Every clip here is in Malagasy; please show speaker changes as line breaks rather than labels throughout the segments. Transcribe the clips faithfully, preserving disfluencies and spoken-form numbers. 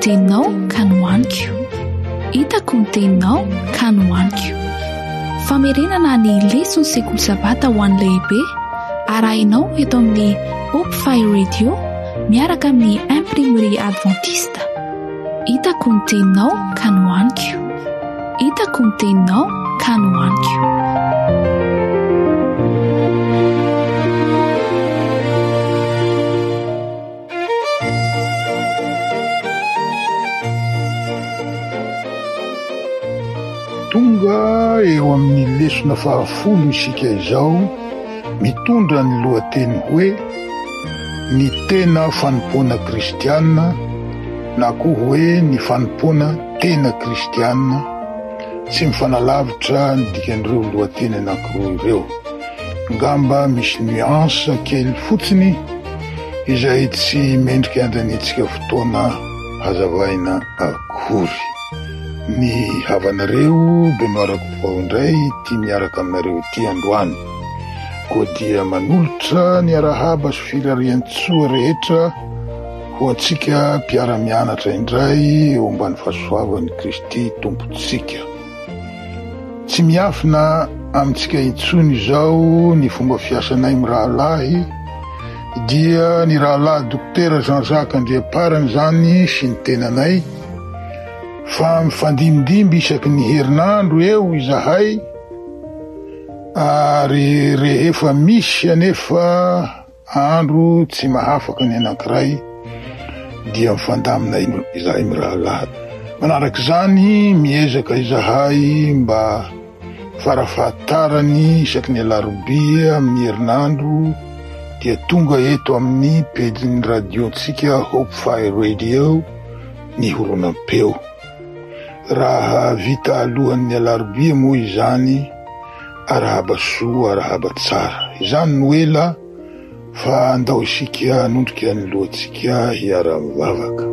teninao ka nohaniko. Hitako ny teninao ka nohaniko. Famerenana ny leson'ny sekoly sabata ho an'ny lehibe arahinao eto amin'ny Hope Fire Radio miaraka amin'ny Imprimerie Adventiste. Hitako ny teninao ka nohaniko. Hitako ny teninao ka nohaniko.
Tonga eo amin'ny lesona fahafolo isika izao, mitondra ny lohateny hoe ny tena fanompoana kristiana na koa hoe ny fanompoana tena kristiana. Tsy mifanalavitra ny dikan'ireo lohateny anankiroa ireo. Ngamba misy nuance kely fotsiny izay tsy mendrika andaniantsika fotoana hazavaina akory. Ny havanareo Benoît Rakotovao indray ity miaraka aminareo ity androany. Koa dia manolotra ny arahaba sy firarian-tsoa rehetra ho antsika mpiara-mianatra indray eo ambany fahasoavan'i Kristy Tompontsika. Tsy miafina amintsika intsony izao ny fomba fiasanay mirahalahy, dia ny rahalahy Dokotera Jean-Jacques Andriamparany zany sy ny tenanay, fa mifandimbindimby isaky ny herinandro eo izahay, ary rehefa misy anefa andro tsy mahafaka ny anankiray dia mifandamina izahay mirahalahy. Manarak'izany miezaka izahay mba farafahatarany isaky ny alarobia amin'ny herinandro dia tonga eto amin'ny pejin'ny radiontsika Hope Fire Radio ny horonam-peo. Raha vita alohan'ny alarobia moa izany, arahaba soa, arahaba tsara. Izany no ela fa andao isika hanondrika ny lohantsika hiara-mivavaka.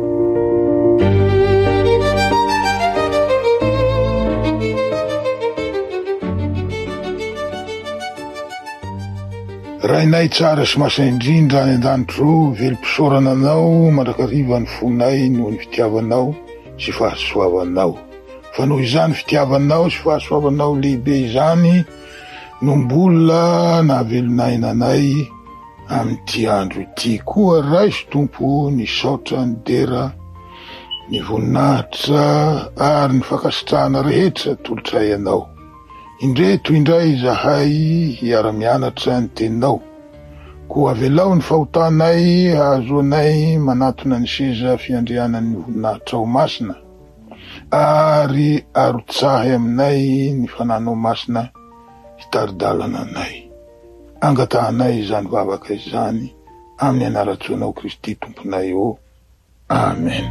Rainay tsara sy masina indrindra any an-danitra ô, velom-pisaorana anao mandrakariva ny fonay noho ny fitiavanao sy fahasoavanao. Fa noho izany fitiavanao sy fahasoavanao lehibe izany no mbola nahavelon'aina anay amin'ity andro ity. Koa raiso Tompo ny saotra, ny dera, ny voninahitra ary ny fankasitrahana rehetra atolotray anao. Indreto indray izahay hiara-mianatra ny teninao. Koa avelao ny fahotanay hahazoanay manatona ny seza fiandrianan'ny voninahitrao masina, ary arotsahy aminay ny fananao masina hitari-dalana anay. Angatahanay izany vavaka izany amin'ny anaran-tsoanao Kristy Tomponay ô. Amen.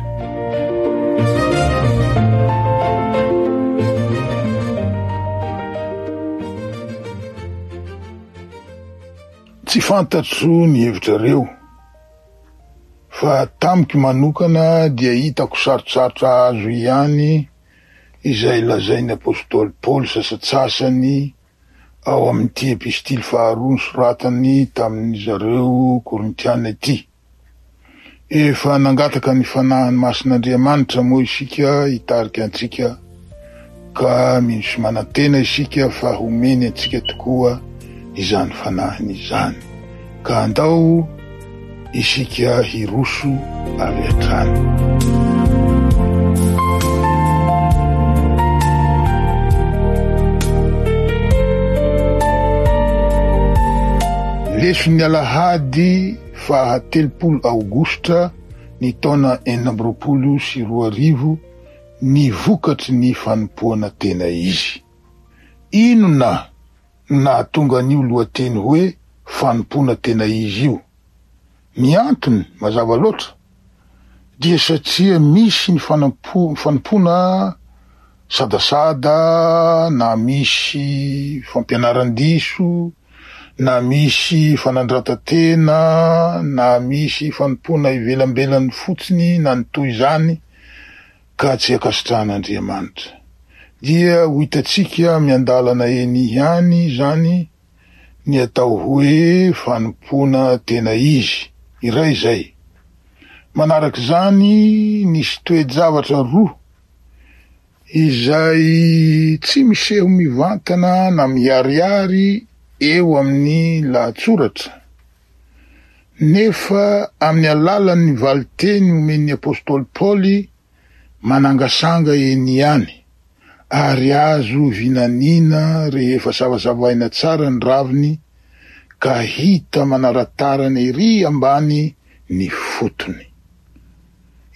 Tsy fantatro ny hevitrareo, fa tamiko manokana dia hitako sarotsarotra azo ihany izay lazain'ny apostoly Paoly sasatsasany ao amin'ity epistily faharoa nosoratany tamin'ny zareo Korintiana ity. Efa nangataka ny fanahiny masin'Andriamanitra moa isika hitarika antsika, ka mino sy manantena isika fa homeny antsika tokoa izany fanahiny izany. Ka andao isika hiroso avy hatrany. Leson'ny alahady faha telopolo aogositra ny taona enina amby roapolo sy roa arivo ny vokatry ny fanompoana tena izy. Inona no nahatonga an'io lohateny hoe fanompoana tena izy io? Ny antony mazava loatra dia satria misy ny fanampo-, fanompoana sadasada, na misy fampianaran-diso, na misy fanandratan-tena, na misy fanompoana ivelambelany fotsiny, na ny toy izany, ka tsy ankasitrahan'Andriamanitra. Dia ho hitantsika miandalana eny ihany izany ny atao hoe fanompoana tena izy, iray izay. Manarak'izany, nisy toe-javatra roa izay tsy miseho mivantana na miharihary eo amin'ny lahatsoratra, nefa amin'ny alalan'ny valiteny omen'ny apostoly Paoly manangasanga eny ihany, ary azo vinaniana rehefa savasavaina tsara ny raviny ka hita manaratarany ery ambany ny fotony.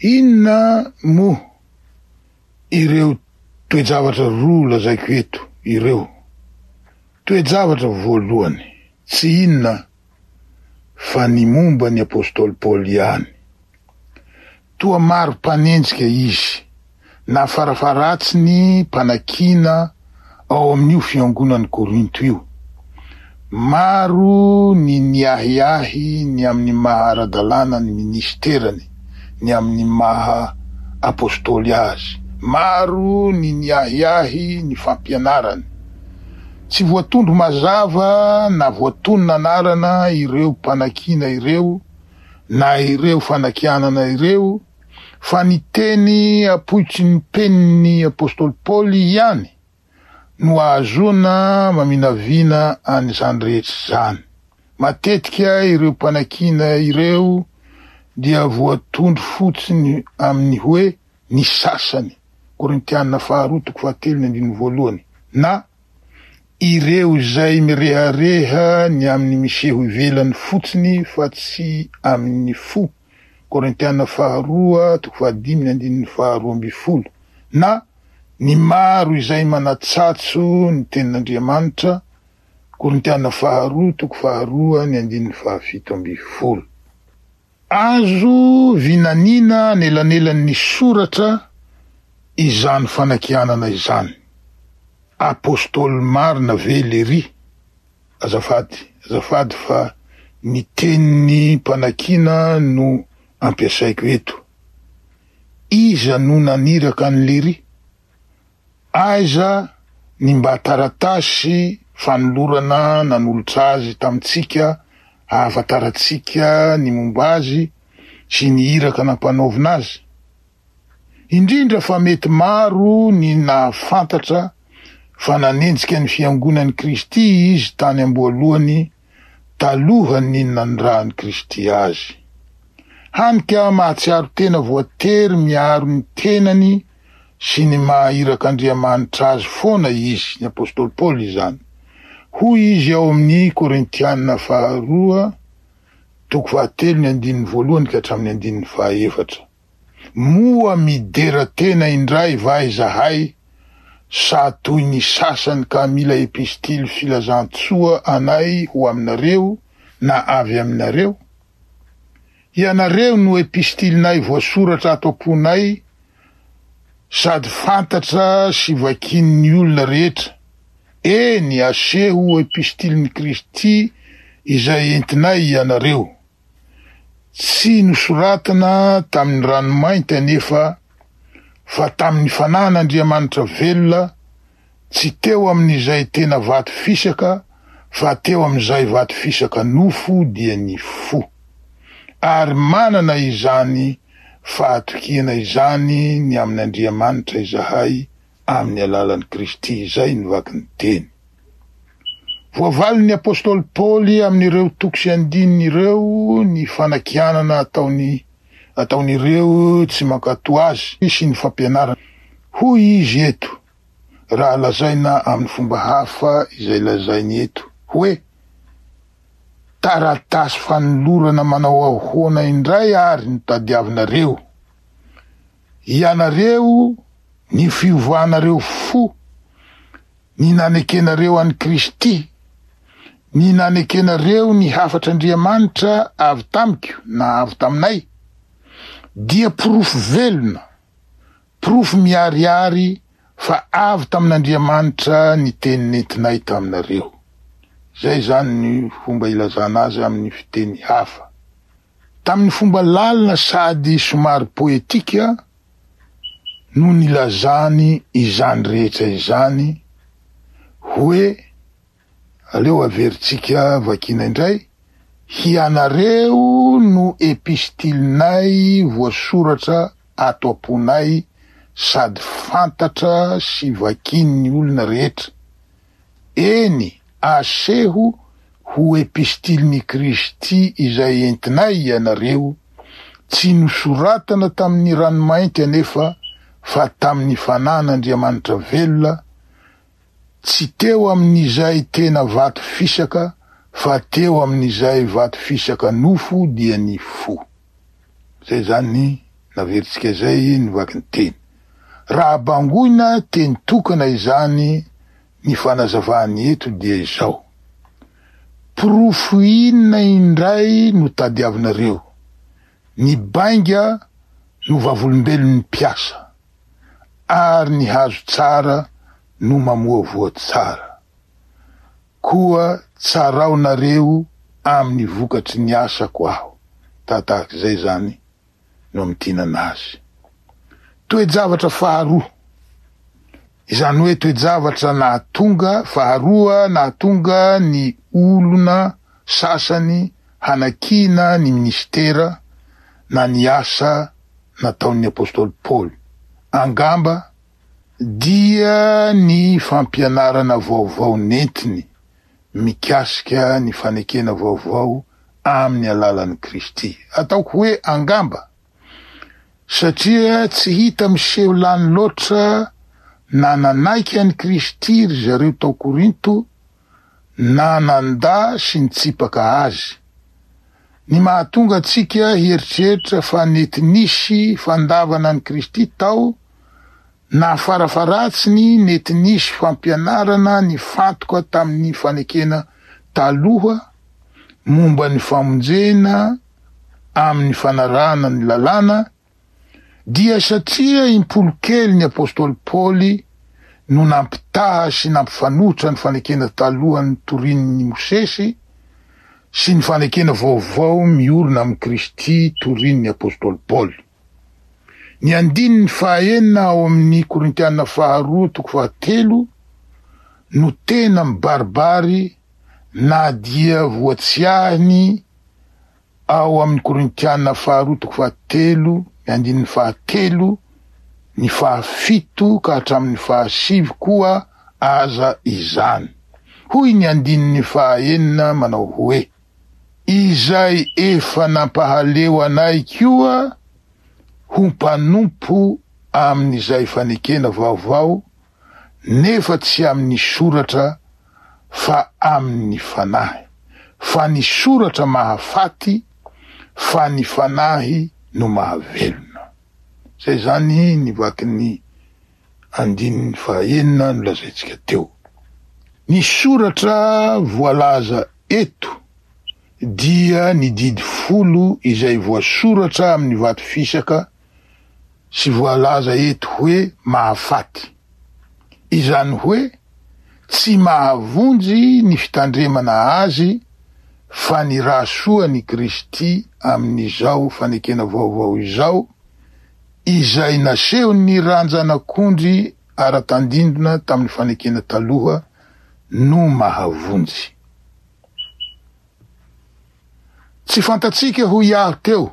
Inona moa ireo toe-javatra roa lazaiko eto ireo? Toe-javatra voalohany, tsy inona fa ny momba ny apostoly Paoly ihany. Toa maro mpanenjika izy, na farafaharatsiny mpanakiana ao amin'io fiangonan'i Korinto io. Maro ny niahiahy ny amin'ny maha ara-dalàna ny ministerany, ny amin'ny maha apostoly azy. Maro ny niahiahy ny fampianarany. Tsy voatondro mazava na voatonona anarana ireo mpanakiana ireo na ireo fanakianana ireo, fa ny teny apoitry ny penin'ny apostoly Paoly ihany no ahazoana maminavina an'izany rehetra izany. Matetika ireo mpanakiana ireo dia voatondro fotsiny amin'ny hoe ny sasany, Korintiana faharoa toko fahatelo ny andininy voalohany, na ireo izay mirehareha ny amin'ny miseho ivelany fotsiny fa tsy amin'ny fo, Korintiana faharoa toko fahadimy ny andininy faharoa amby folo, na ny maro izay manatsatso ny tenin'Andriamanitra, Korintiana faharoa toko faharoa ny andininy fahafito amby folo. Azo vinaniana anelanelan'ny soratra izany fanakianana izany. Apostoly marina ve lery? Azafady, azafady fa ny tenin'ny mpanakiana no ampiasaiko eto. Iza no naniraka an'i lery? Aiza ny mba taratasy fanolorana nanolotra azy tamintsika ahafantarantsika ny momba azy sy ny iraka nampanaovina azy? Indrindra fa mety maro ny nahafantatra fa nanenjika ny fiangonan'i Kristy izy tany am-boalohany talohan'ny nanirahan'i Kristy azy. Hany ka mahatsiaro tena voatery miaro ny tenany sy ny maha irak'Andriamanitra azy foana izy, ny apostoly Paoly izany. Hoy izy ao amin'ny Korintiana faharoa toko fahatelo ny andininy voalohany ka hatramin'ny andininy fahaefatra. Moa midera tena indray va izahay sa toy ny sasany ka mila epistily filazantsoa anay ho aminareo na avy aminareo? Ianareo no epistilinay voasoratra ato am-ponay sady fantatra sy vakin'ny olona rehetra. Eny, aseho epistilin'i Kristy izay entinay ianareo. Tsy nosoratana tamin'ny ranomainty anefa fa tamin'ny fanahin'Andriamanitra velona, tsy teo amin'izay tena vato fisaka fa teo amin'izay vato fisaka nofo dia ny fo. Ary manana izany fahatokiana izany ny amin'Andriamanitra izahay amin'ny alalan'i Kristy, izay ny vaky ny teny. Voavalin'ny apostoly Paoly amin'ireo toko sy andininy ireo ny fanakianana ataony ataon'ireo tsy mankatò azy sy ny fampianarana. Hoy izy eto, raha lazaina amin'ny fomba hafa izay lazainy eto, hoe taratasy fanolorana manao ahoana indray ary no tadiavinareo? Ianareo ny fiovanareo fo, ny nanekenareo an'i Kristy, ny nanekenareo ny hafatr'Andriamanitra avy tamiko na avy taminay, dia porofo velona, porofo miharihary fa avy tamin'Andriamanitra ny teny nentinay taminareo. Zay zany ny fomba ilazana azy amin'ny fiteny hafa. Tamin'ny fomba lalina sady somary poetika no nilazany izany rehetra izany, hoe aleo averintsika vakina indray: hianareo no epistilinay voasoratra ato am-ponay sady fantatra sy vakin'ny olona rehetra. Eny, aseho ho epistilin'i Kristy izay entinay ianareo, tsy nosoratana tamin'ny ranomainty anefa fa tamin'ny fanan'Andriamanitra velona, tsy teo amin'izay tena vato fisaka fa teo amin'izay vato fisaka nofo dia ny fo. Zay zany naveritsika zay ny vaky ny teny. Raha bangoina teny tokana izany ny fanazavany eto dia izao: porofo inona indray no tadiavinareo? Ny bainga no vavolombelon'ny mpiasa, ary ny hazo tsara no mamoa voa tsara. Koa tsaraonareo amin'ny vokatry ny asako aho. Tahatahak'izay zany no amintinana azy. Toe-javatra faharoa, izany hoe toe-javatra nahatonga faharoa nahatonga ny olona sasany hanakiana ny ministera na ny asa nataon'ny apostoly Paoly angamba dia ny fampianarana vaovao nentiny mikasika ny fanekena vaovao amin'ny alalan'i Kristy. Ataoko hoe angamba satria tsy hita miseho lany loatra na nanaiky an'i Kristy ry zareo tao Korinto na nandà sy nitsipaka azy. Ny mahatonga antsika hieritreritra fa nety nisy fandavana an'i Kristy tao na farafaratsiny nety nisy fampianarana nifantoka tamin'ny fanekena taloha momba ny famonjena amin'ny fanarahana ny lalàna, dia satria impolo kely ny apostoly Paoly no nampitaha sy nampifanohitra ny fanekena talohan'ny torin'ny Mosesy sy ny fanekena vaovao miorina amin'i Kristy torin'ny apostoly Paoly. Ny andininy fahaenina ao amin'ny Korintiana faharoa toko fahatelo no tena mibaribary na dia voatsiahiny ao amin'ny Korintiana faharoa toko fahatelo ny andininy fahatelo ny fahafito ka hatramin'ny fahasivy koa aza izany. Hoy ny andininy fahaenina manao hoe: izay efa nampahaleo anay koa ho mpanompo amin'izay fanekena vaovao, nefa tsy amin'ny soratra fa amin'ny fanahy. Fa ny soratra mahafaty, fa ny fanahy no mahavelona. Zay zany ny vakin'ny andininy fahaenina nolazaintsika teo. Ny soratra voalaza eto dia ny didy folo izay voasoratra amin'ny vato fisaka sy voalaza eto hoe mahafaty. Izany hoe tsy mahavonjy ny fitandremana azy fa ny raha soa ny Kristy amin'izao fanekena vaovao izao, izay nasehon'ny ranjanakondry ara-tandindona tamin'ny fanekena taloha no mahavonjy. Tsy fantatsika hoy aho teo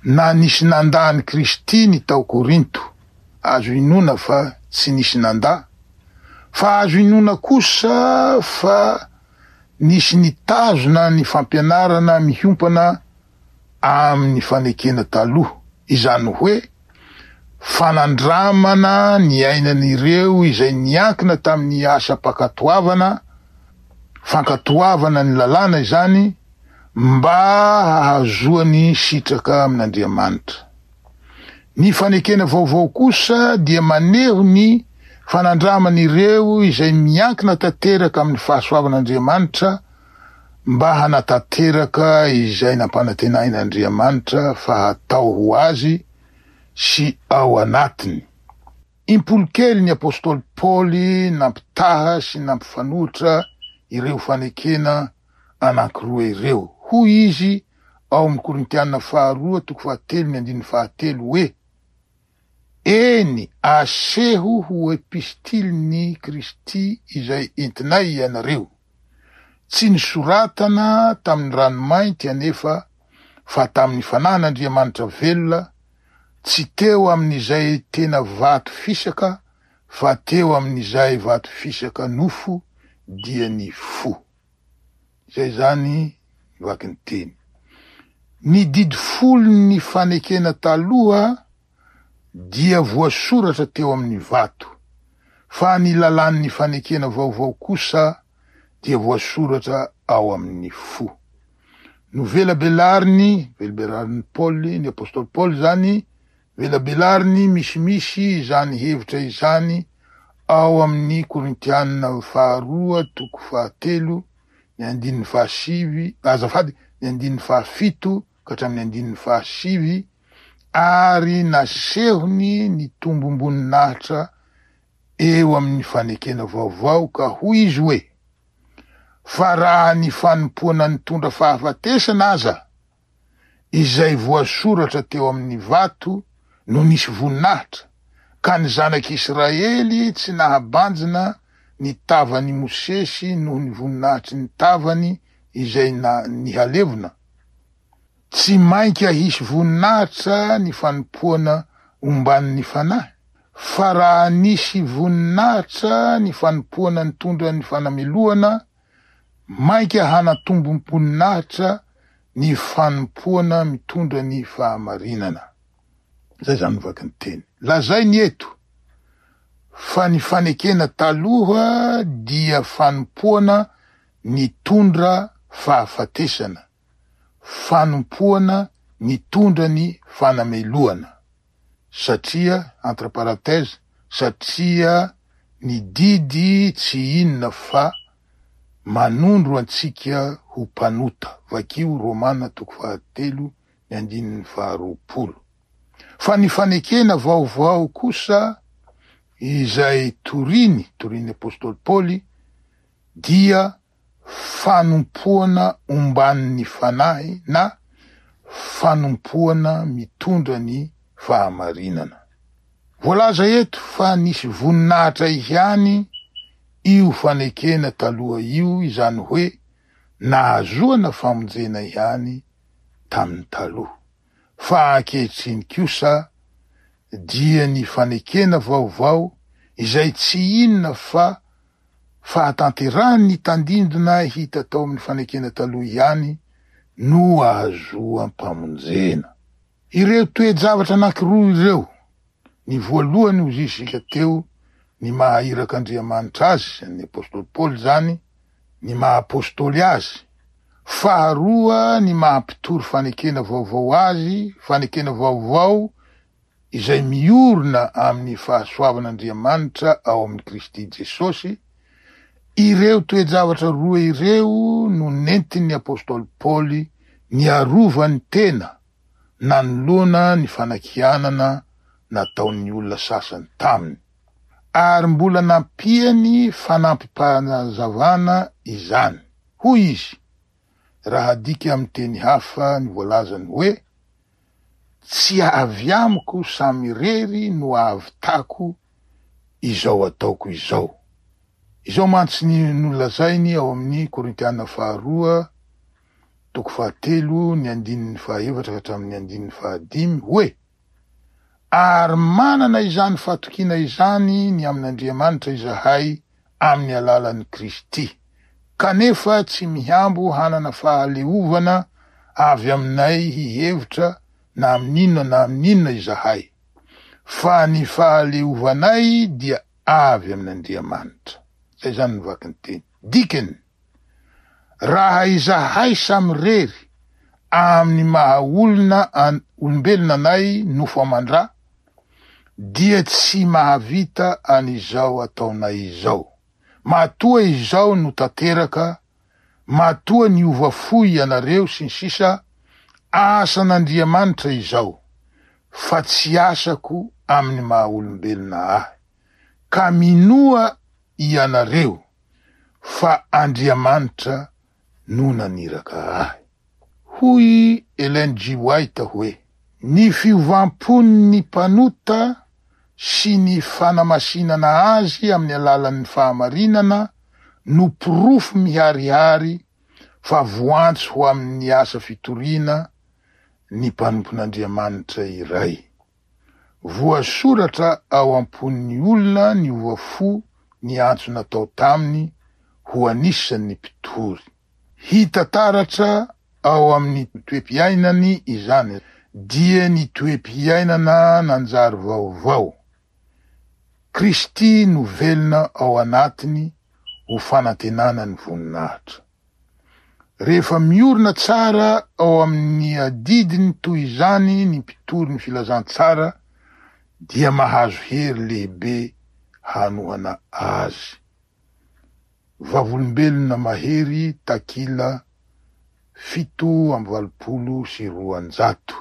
na nisy nandà an'i Kristy ny tao Korinto. Azo inoana fa tsy nisy nandà, fa azo inoana kosa fa nisy nitazona ny fampianarana miompana amin'ny fanekena taloha, izany hoe fanandramana ny ainan'ireo izay niankina tamin'ny asam-pankatoavana, fankatoavana ny lalàna izany mba hahazoany sitraka amin'Andriamanitra. Ny fanekena vaovao kosa dia maneho ny fanandraman'ireo izay miankina tanteraka amin'ny fahasoavan'Andriamanitra mba hanatanteraka izay nampanantenain'Andriamanitra fa hatao ho azy sy ao anatiny. Impolo kely ny apostoly Paoly nampitaha sy nampifanohitra ireo fanekena anankiroa ireo. Hoy izy ao amin'ny Korintiana faharoa toko fahatelo ny andininy fahatelo hoe: eny, aseho ho epistilin'i Kristy izay entinay ianareo. Tsy nosoratana tamin'ny ranomainty anefa fa tamin'ny Fanahin'Andriamanitra velona, tsy teo amin'izay tena vato fisaka, fa teo amin'izay vato fisaka nofo, dia ny fo. Izay zany vaky ny teny. Ny didy folon'ny fanekena taloha dia voasoratra teo amin'ny vato, fa ny lalàn'ny fanekena vaovao kosa dia voasoratra ao amin'ny fo. Novelabelariny, velabelarin'i Paoly, ny apostoly Paoly zany, velabelariny misimisy izany hevitra izany ao amin'ny Korintianina faharoa toko fahatelo, ny andininy fahasivy, azafady, ny andininy fahafito ka hatramin'ny andininy fahasivy, ary nasehony ny tombom-boninahitra eo amin'ny fanekena vaovao, ka hoy izy hoe: fa raha ny fanompoana nitondra fahafatesana aza, izay voasoratra teo amin'ny vato no nisy voninahitra, ka ny zanak'Israely tsy nahabanjina ny tavany Mosesy noho ny voninahitry ny tavany izay na nihalevona, tsy mainka hisy voninahitra ny fanompoana omban'ny fanahy, fa raha nisy voninahitra ny fanompoana nitondra ny fanamelohana, mainka hanatombom-boninahitra ny fanompoana mitondra ny fahamarinana. Zay zany vaky ny teny. Lazainy eto fa ny fanekena taloha dia fanompoana nitondra fahafatesana, fanompoana nitondra ny fanamelohana, satria, entre parenthèses, satria ny didy tsy inona fa manondro antsika ho mpanota. Vakio Romana toko fahatelo ny andininy faharoapolo. Fa ny fanekena vaovao kosa izay toriny, toriny apostoly Paoly, dia fanompoana omban'ny fanahy na fanompoana mitondra ny fahamarinana. Voalaza eto fa nisy voninahitra ihany io fanekena taloha io, izany hoe nahazoana famonjena ihany tamin'ny taloha. Fa ankehitriny kosa dia ny fanekena vaovao izay tsy inona fa fahatanterahan'ny tandindona hita tao amin'ny fanekena taloha ihany no ahazoam-pamonjena. Ireo toe-javatra anankiroa ireo, ny voalohany hoy isika teo, ny maha irak'Andriamanitra azy, ny apostoly Paoly zany, ny maha apostoly azy. Faharoa, ny maha mpitory fanekena vaovao azy, fanekena vaovao izay miorina amin'ny fahasoavan'Andriamanitra ao amin'ny Kristy Jesosy. Ireo toe-javatra roa ireo no nentin'ny apostoly Paoly niarovany tena nanoloana ny fanakianana nataon'ny olona sasany taminy, ary mbola nampiany fanampim-panazavana izany. Hoy izy, raha adika amin'ny teny hafa ny voalazany hoe: tsy avy amiko samirery no ahavitako izao ataoko izao. Izao mantsy ny nolazainy ao amin'ny Korintiana faharoa toko fahatelo ny andininy fahaefatra ka hatramin'ny andininy fahadimy hoe: ary manana izany fatokiana izany ny amin'Andriamanitra izahay amin'ny alalan'i Kristy, kanefa tsy mihambo hanana fahaleovana avy aminay hihevitra na amin'inona na amin'inona izahay, fa ny fahaleovanay dia avy amin'Andriamanitra. Zay zany ny vaky ny teny. Dikany, raha izahay samirery amin'ny maha olona an, olombelona anay nofo aman-dra, dia tsy mahavita an'izao ataonay izao. Matoa izao no tanteraka, matoa niova fo ianareo sy ny sisa, asan'Andriamanitra izao, fa tsy asako amin'ny maha olombelona ahy. Ka minoa ianareo fa Andriamanitra no naniraka ahy. Hoy Ellen G. White hoe: ny fiovam-pon'ny mpanota sy ny fanamasinana azy amin'ny alalan'ny fahamarinana no porofo miharihary fa voantso ho amin'ny asa fitoriana ny mpanompon'Andriamanitra iray. Voasoratra ao am-pon'ny olona niova fo ny antso natao taminy ho anisan'ny mpitory. Hita taratra ao amin'ny toe-piainany izany, dia ny toe-piainana nanjary vaovao. Kristy no velona ao anatiny ho fanantenana ny voninahitra. Rehefa miorina tsara ao amin'ny adidiny toy izany ny mpitory ny filazantsara dia mahazo hery lehibe hanohana azy. Vavolombelona mahery takila fito amby valopolo sy roanjato.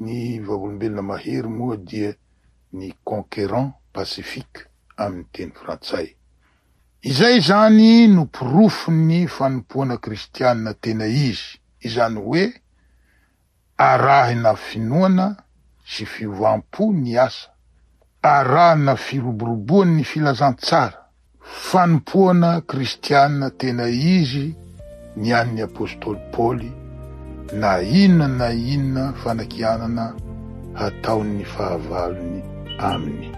Ny vavolombelona mahery moa dia ny conquérant pacifique amin'ny teny frantsay. Izay zany no porofon'ny fanompoana kristianina tena izy, izany hoe arahina finoana sy fiovam-po ny asa, arahina firoboroboan'ny filazantsara. Fanompoana kristianina tena izy ny an'ny apôstôly Paoly, na inona na inona fanakianana hataon'ny fahavalony aminy.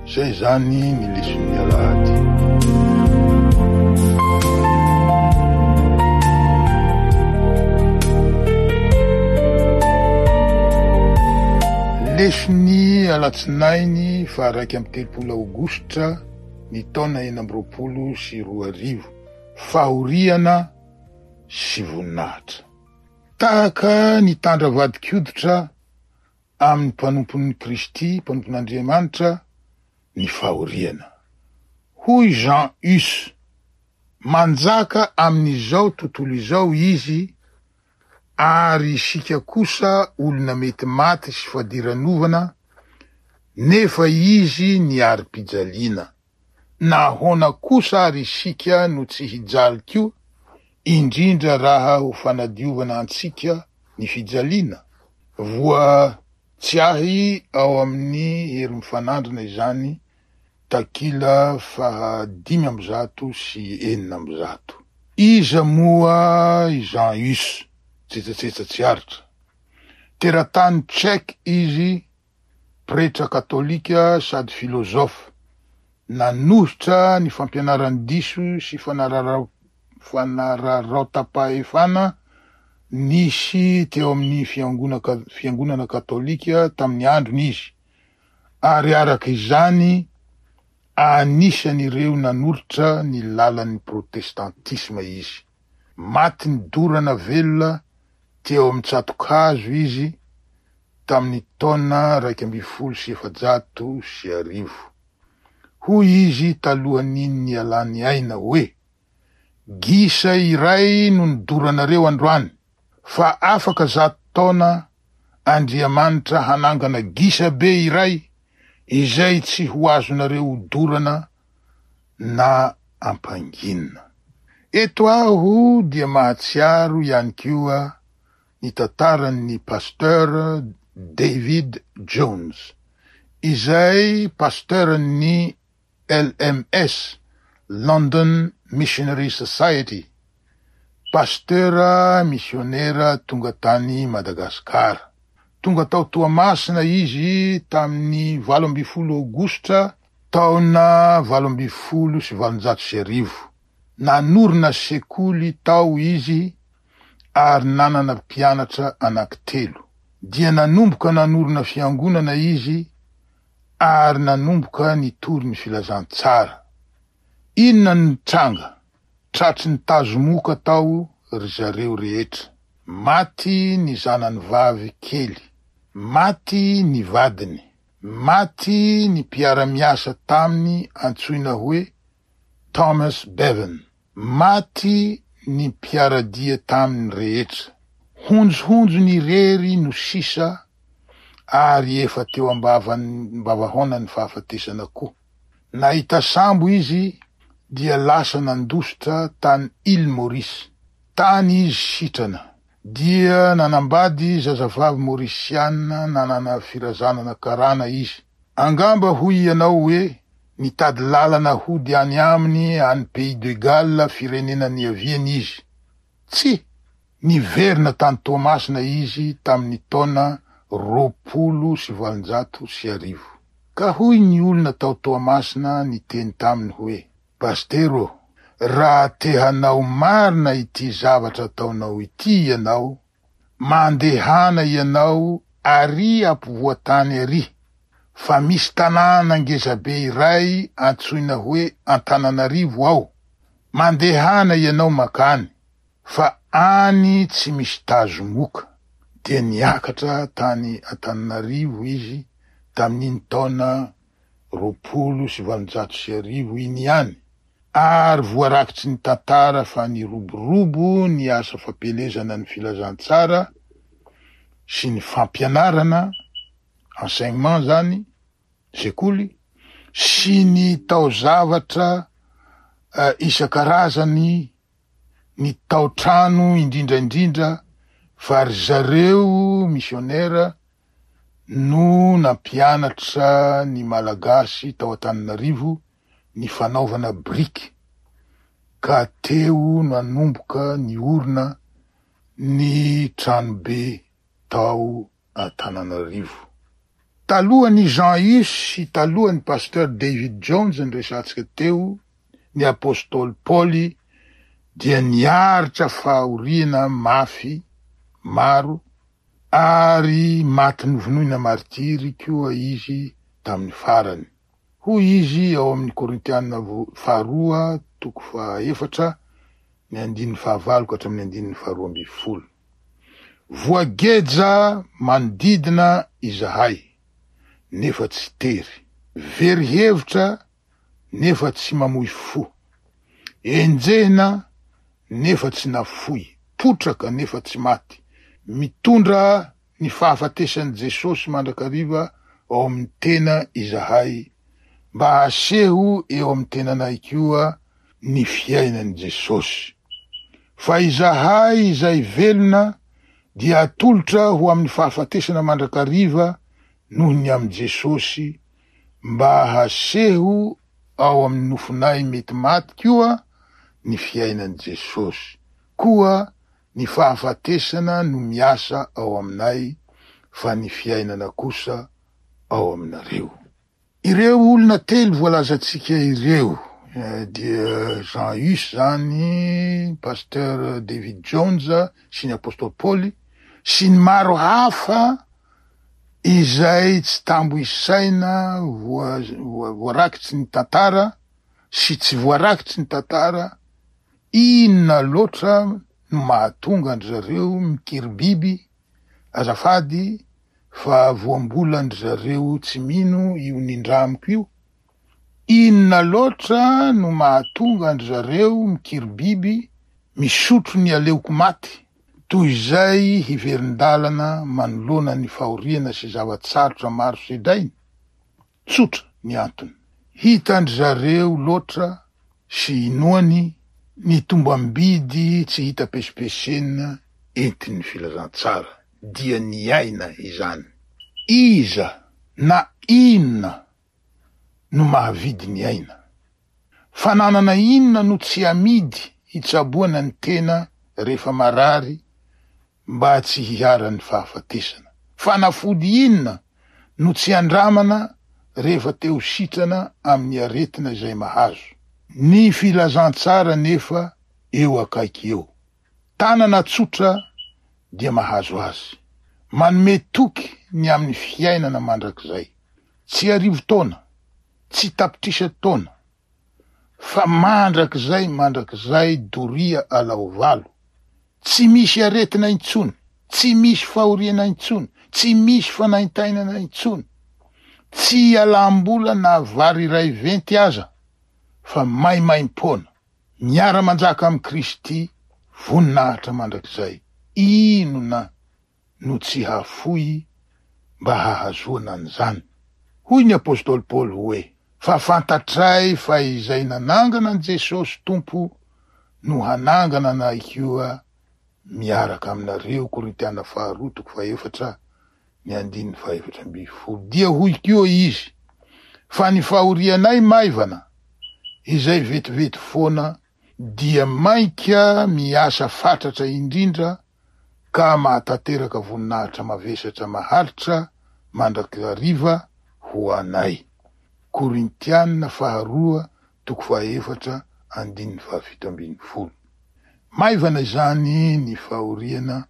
Izay zany ny leson'ny alahady. Leson'ny alatsinainy faha iraika amby telopolo aogositra ny taona enina amby roapolo sy roa arivo. Fahoriana sy voninahitra. Tahaka ny tandra vadin-koditra amin'ny mpanompon'i Kristy, mpanompon'Andriamanitra, ny fahoriana. Hoy Jean Hus, manjaka amin'izao tontolo izao izy, ary isika kosa olona mety maty sy fadiranovana, nefa izy niari-pijaliana. Na ahoana kosa ary isika no tsy hijaly koa, indrindra raha ho fanadiovana antsika ny fijaliana. Voa tsy ahy ao amin'ny hery mifanandrina izany, takila faha dimy amby zato sy enina amby zato. Iza moa i Jean Hus? Tsetsatsetsa tsy aritra. Teratany tchèque izy, pretra katolika sady filozofa. Nanohitra ny fampianarany diso sy fanarara- fanararaotam-pahefana nisy teo amin'ny fiangona ka- fiangonana katolika tamin'ny androny izy. Ary araka izany anisan'ireo nanolotra ny lalan'ny protestantisma izy. Maty nidorana velona teo amin'ny tsatokazo izy tamin'ny taona iraika ambin'ny folo sy efajato sy arivo. Hoy izy talohan'ny nialany aina hoe: gisa iray no nidoranareo androany, fa afaka zato taona Andriamanitra hanangana gisa be iray izay tsy ho azonareo hodorana na ampanginina. Eto aho dia mahatsiaro ihany koa ny tantaran'ny pasteur David Jones, izay pasteuran'ny L M S, London Missionary Society, pasteur missionnaire tonga tany Madagasikara. Tonga tao Toamasina izy tamin'ny valo ambin'ny folo aogositra taona valo ambin'ny folo sy valonjato sy arivo. Nanorina sekoly tao izy ary nanana mpianatra anankitelo. Dia nanomboka nanorina fiangonana izy ary nanomboka nitory ny filazantsara. Inona no nitranga? Tratry ny tazomoka tao ry zareo rehetra. Maty ny zanany vavy kely, maty ny vadiny, maty ny mpiara-miasa taminy antsoina hoe Thomas Bevan, maty ny mpiara-dia taminy rehetra. Honjohonjony irery no sisa ary efa teo ambavan-, ambavahaonan'ny fahafatesana koa. Nahita sambo izy dia lasa nandositra tany Île Maurice. Tany izy sitrana. Dia nanambady zazavavy maurisiana nanana firazanana karana izy. Angamba hoy ianao hoe nitady lalana hody any aminy any Pays de Galles firenena niaviany izy. Tsy, Niverina tany Toamasina izy tamin'ny taona roapolo sy valonjato sy arivo. Ka hoy ny olona tao Toamasina niteny taminy hoe: "Pastero, raha te hanao marina ity zavatra ataonao ity ianao, mandehana ianao ary ampovoan-tany ary, fa misy tanàna ngezabe iray antsoina hoe Antananarivo ao. Mandehana ianao makany, fa any tsy misy tazomoka." Dia niakatra tany Antananarivo izy tamin'iny taona roapolo sy valonjato sy arivo iny ihany, ary voarakitry ny tantara fa niroborobo ny asa fampielezana ny filazantsara sy ny fampianarana, enseignement zany, sekoly, sy ny taozavatra isan-karazany, ny taotrano indrindra indrindra, fa ry zareo missionnaire no nampianatra ny Malagasy tao Antananarivo ny fanaovana briky, ka teo nanomboka ny orina ny tranobe tao Antananarivo. Talohan'ny Jean Hus sy talohan'ny pasteur David Jones nyresantsika teo, ny apôstôly Paoly dia niaritra fahoriana mafy maro ary maty novonoina martiry koa izy tamin'ny farany. Hoy izy ao amin'ny Korintiana faharoa toko fahaefatra ny andininy fahavalo ka hatramin'ny andininy faharoa ambin'ny folo. Voageja manodidina izahay, nefa tsy tery. Very hevitra, nefa tsy mamoy fo. Enjehina, nefa tsy nafoy. Potraka, nefa tsy maty. Mitondra ny fahafatesan'i Jesosy mandrakariva ao amin'ny tena izahay, mba haseho eo amin'ny tenanay koa ny fiainan'i Jesosy. Fa izahay izay velona dia atolotra ho amin'ny fahafatesana mandrakariva noho ny amin'i Jesosy, mba haseho ao amin'ny nofonay mety maty koa ny fiainan'i Jesosy. Koa ny fahafatesana no miasa ao aminay, fa ny fiainana kosa ao aminareo. Ireo olona telo voalazantsika ireo dia Jean Hus zany, pasteur David Jones sy ny apôstôly Paoly sy ny maro hafa izay tsy tambo isaina voarakitsy ny tantara sy tsy voarakitsy ny tantara. Inona loatra no mahatonga an-dry zareo mikiribiby azafady fa voambolan-dry zareo tsy mino io nindramiko io? Inona loatra no mahatonga an-dry zareo mikiribiby misotro ny aleoko maty toy izay hiverin-dalana manoloana ny fahoriana sy zava-tsarotra maro sedrainy? Tsotra ny antony. Hitan-dry zareo loatra sy inoany ny tombam-bidy tsy hita pesipesenina entin'ny filazantsara, dia niaina izany. Iza na inona no mahavidy ny aina? Fananana inona no tsy amidy hitsaboana ny tena rehefa marary mba tsy hiharan'ny fahafatesana? Fanafody inona no tsy andramana rehefa te ho sitrana amin'ny aretina izay mahazo? Ny filazantsara nefa eo akaiky eo. Tanana tsotra dia mahazo azy. Manome toky ny amin'ny fiainana mandrakizay. Tsy arivo taona, tsy tapitrisa taona, fa mandrakizay mandrakizay doria alao valo. Tsy misy aretina intsony, tsy misy fahoriana intsony, tsy misy fanaintainana intsony, tsy alam-bola na vary iray venty aza, fa maimaim-poana. Miara-manjaka amin'i Kristy voninahitra mandrakizay. Inona no tsy hafoy mba hahazoana an'izany? Hoy ny apôstôly Paoly hoe: fa fantatray fa izay nanangana an'i Jesosy Tompo no hanangana anay koa miaraka aminareo. Korintiana faharoa toko fahaefatra ny andininy fahaefatra ambin'ny folo. Dia hoy koa izy: fa ny fahorianay maivana izay vetivety foana dia mainka miasa fatratra indrindra ka mahatanteraka voninahitra mavesatra maharitra mandrakariva ho anay. Korintiana faharoa toko fahaefatra andininy fahafito ambin'ny folo. Maivana izany ny fahoriana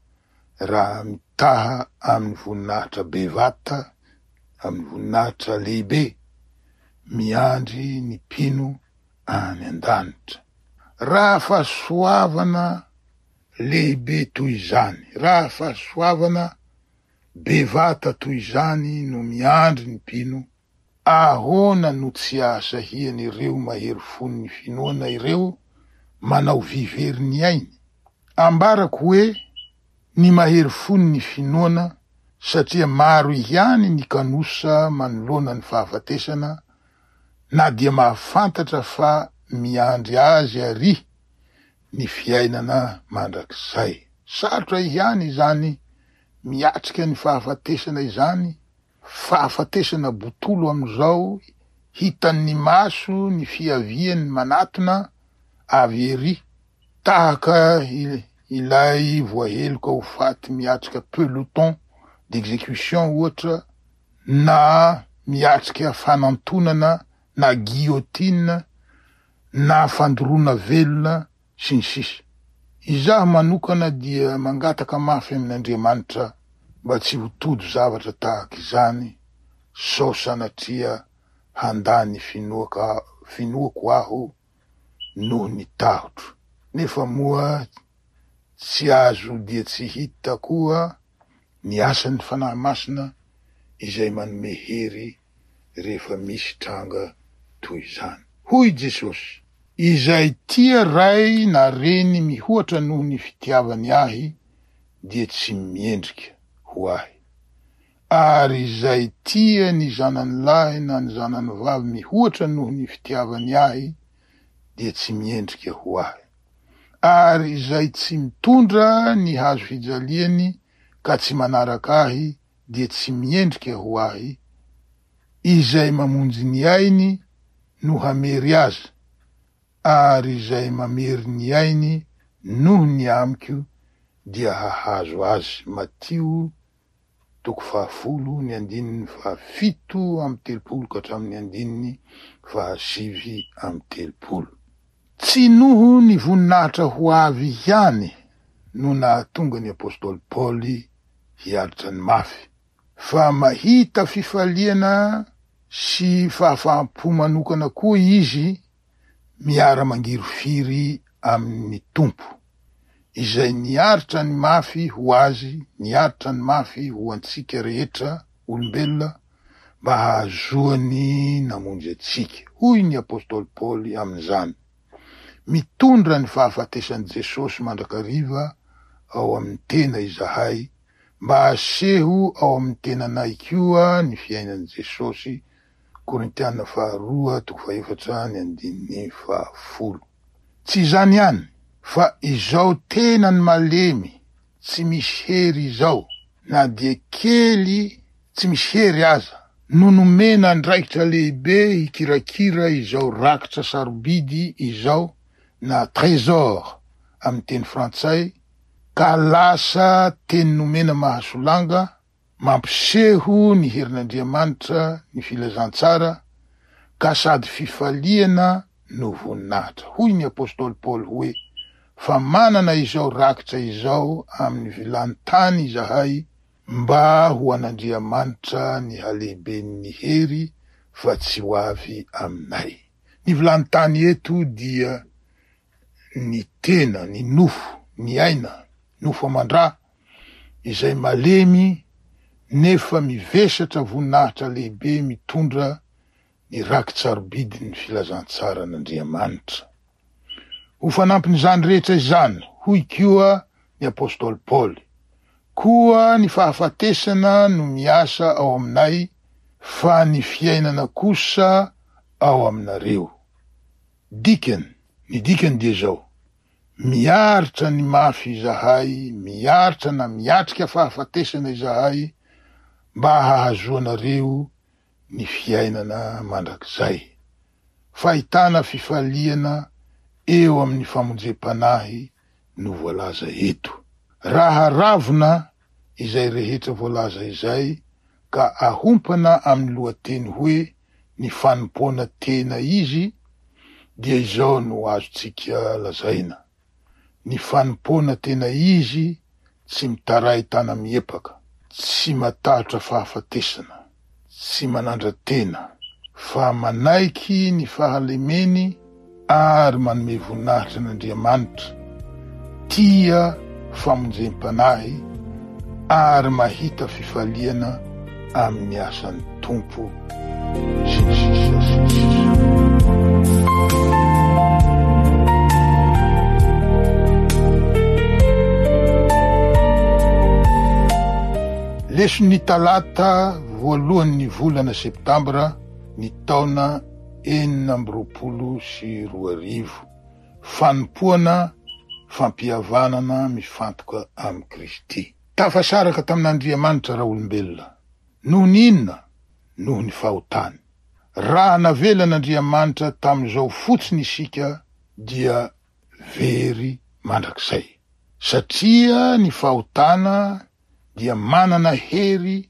raha mitaha amin'ny voninahitra bevata, amin'ny voninahitra lehibe miandry ny mpino any an-danitra. Raha fahasoavana lehibe toy izany, raha fahasoavana bevata toy izany no miandry ny mpino, ahoana no tsy ahasahian'ireo mahery fon'ny finoana ireo manao vivery ny ainy? Ambarako hoe ny mahery fon'ny finoana, satria maro ihany ny kanosa manoloana ny fahafatesana, na dia mahafantatra fa miandry azy ary ny fiainana mandrakizay. Sarotra ihany izany miatrika ny fahafatesana izany, fahafatesana botolo amin'izao, hitan'ny maso ny fiaviany manatona avy ery, tahaka ilay voaheloka ho faty miatrika peloton d'exécution ohatra, na miatrika fanantonana na guillotine na fandoroana velona sy ny sisa. Izaho manokana dia mangataka mafy amin'Andriamanitra mba tsy ho tojo zavatra tahaka izany, sao sanatria handà ny finoaka, finoako aho noho ny tahotro. Nefa moa tsy azo dia tsy hita koa ny asan'ny Fanahy Masina izay manome hery rehefa misy tranga toy izany. Hoy Jesosy: izay tia ray na reny mihoatra noho ny fitiavany ahy dia tsy miendrika ho ahy, ary izay tia ny zanany lahy na ny zanany vavy mihoatra noho ny fitiavany ahy dia tsy miendrika ho ahy, ary izay tsy mitondra ny hazo fijaliany ka tsy manaraka ahy dia tsy miendrika ho ahy. Izay mamonjy ny ainy no hamery azy, ary izay mamery ny ainy noho ny amiko dia hahazo azy. Matio toko fahafolo ny andininy fahafito amby telopolo ka hatramin'ny andininy fahasivy amby telopolo. Tsy noho ny voninahitra ho avy ihany no nahatonga ny apostoly Paoly hiaritra ny mafy, fa mahita fifaliana sy fahafaham-po manokana koa izy miara-mangirifiry amin'ny Tompo, izay niaritra ny mafy ho azy, niaritra ny mafy ho antsika rehetra olombelona mba hahazoany namonjy antsika. Hoy ny apostoly Paoly amin'izany: mitondra ny fahafatesan'i Jesosy mandrakariva ao amin'ny tena izahay, mba aseho ao amin'ny tenanay koa ny fiainan'i Jesosy. Korintiana faharoa toko fahefatra ny andininy fahafolo. Tsy izany ihany, fa izao tenany malemy tsy misy hery izao, na dia kely tsy misy hery aza, no nomena andraikitra lehibe hikirakira izao rakitra sarobidy izao, na trésor amin'ny teny frantsay, ka lasa teny nomena mahasolanga, mampiseho ny herin'Andriamanitra ny filazantsara, ka sady fifaliana no voninahitra. Hoy ny apostoly Paoly hoe: fa manana izao rakitra izao amin'ny vilany tany izahay, mba ho an'Andriamanitra ny halehiben'ny hery, fa tsy ho avy aminay. Ny vilany tany eto dia ny tena, ny nofo, ny aina, nofo aman-dra, izay malemy nefa mivesatra voninahitra lehibe mitondra ny raki-tsarobidin'ny filazantsaran'Andriamanitra. Ho fanampin'izany rehetra izany, hoy koa ny apostoly Paoly: koa ny fahafatesana no miasa ao aminay, fa ny fiainana kosa ao aminareo. Dikany, ny dikany dia izao: miaritra ny mafy izahay, miaritra na miatrika fahafatesana izahay, mba hahazoanareo ny fiainana mandrakizay. Fahitana fifaliana eo amin'ny famonjem-panahy no voalaza eto. Raha ravina izay rehetra voalaza izay ka ahompana amin'ny lohateny hoe ny fanompoana tena izy, dia izao no azontsika lazaina. Ny fanompoana tena izy tsy mitaray tana miepaka, tsy matahotra fahafatesana, tsy manandra-tena, fa manaiky ny fahalemeny ary manome voninahitra an'Andriamanitra, tia famonjem-panahy ary mahita fifaliana amin'ny asan'ny Tompo, sy ny sisa sy ny sisa. Leson'ny talata voalohan'ny volana septambra ny taona enina amby roapolo sy roa arivo. Fanompoana fampihavanana mifantoka amin'i Kristy. Tafasaraka tamin'Andriamanitra raha olombelona. Noho ny inona? Noho ny fahotany. Raha navelan'Andriamanitra tamin'izao fotsiny isika dia very mandrakizay. Satria ny fahotana dia manana hery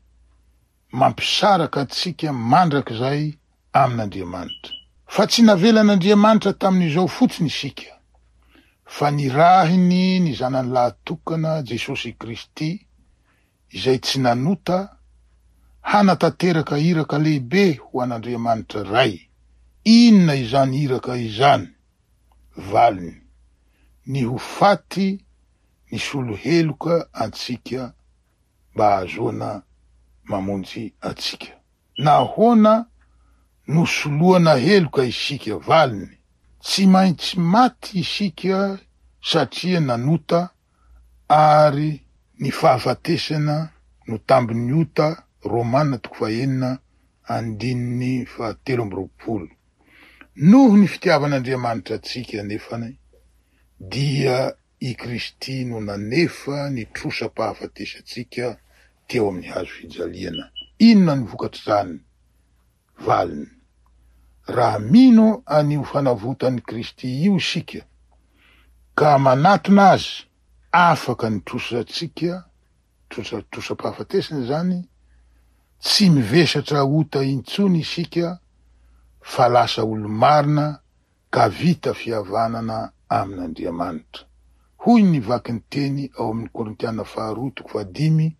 mampisaraka antsika mandrakizay amin'Andriamanitra. Fa tsy navelan'Andriamanitra tamin'izao fotsiny isika, fa nirahiny ny zanany lahatokana Jesosy Kristy, izay tsy nanota, hanatanteraka iraka lehibe ho an'Andriamanitra Ray. Inona izany iraka izany? Valiny: ny ho faty ny solo heloka antsika mba hahazoana mamonjy antsika. Nahoana no soloana heloka isika? Valiny: tsy maintsy maty isika satria nanota, ary ny fahafatesana no tambin'ny ota. Romana toko fahenina andininy fahatelo amby roapolo. Noho ny fitiavan'Andriamanitra antsika nefany dia i Kristy no nanefa ny trosam-pahafatesantsika teo amin'ny hazo fijaliana. Inona ny vokatr'izany? Valiny: raha mino an'io fanavotan'i Kristy io isika ka manatona azy, afaka ny trosantsika, trosa trosam-pahafatesana izany, tsy mivesatra ota intsony isika fa lasa olo-marina ka vita fihavanana amin'Andriamanitra. Hoy ny vakin'ny teny ao amin'ny Korintiana faharoa toko fahadimy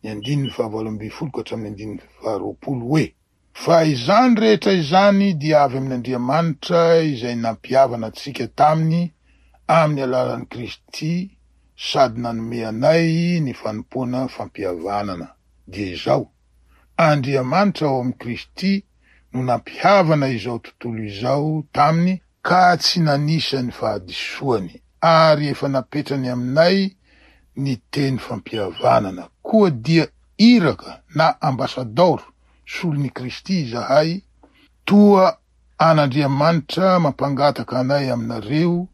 ny andininy fahavalo ambin'ny folo ka hatramin'ny andininy faharoapolo hoe: fa izany rehetra izany dia avy amin'Andriamanitra izay nampihavana antsika taminy amin'ny alalan'i Kristy sady nanome anay ny fanompoana fampihavanana. Dia izao, Andriamanitra ao amin'i Kristy no nampihavana izao tontolo izao taminy ka tsy nanisa ny fahadisoany, ary efa napetrany aminay ny teny fampihavanana. Koa dia iraka na ambasadaoro solon'i Kristy izahay, toa an'Andriamanitra mampangataka anay aminareo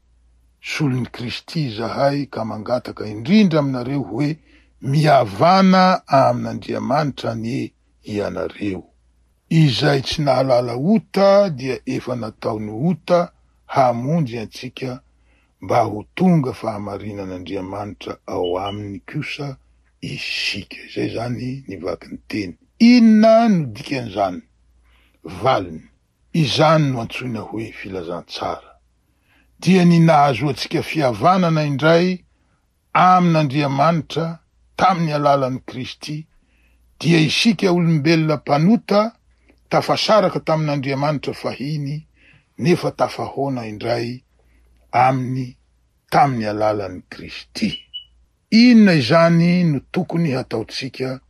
solon'i Kristy izahay, ka mangataka indrindra aminareo hoe mihavana amin'Andriamanitra anie ianareo. Izay tsy nahalala ota dia efa nataony ota hamonjy antsika mba ho tonga fahamarinan'Andriamanitra ao aminy kosa isika. Izay zany ny vakin'ny teny. Inona no dikan'izany? Valiny: izany no antsoina hoe filazantsara. Dia ny nahazoantsika fihavanana indray amin'Andriamanitra tamin'ny alalan'i Kristy, dia isika olombelona mpanota tafasaraka tamin'Andriamanitra fahiny nefa tafahoana indray aminy tamin'ny alalan'i Kristy. Inona izany no tokony hataontsika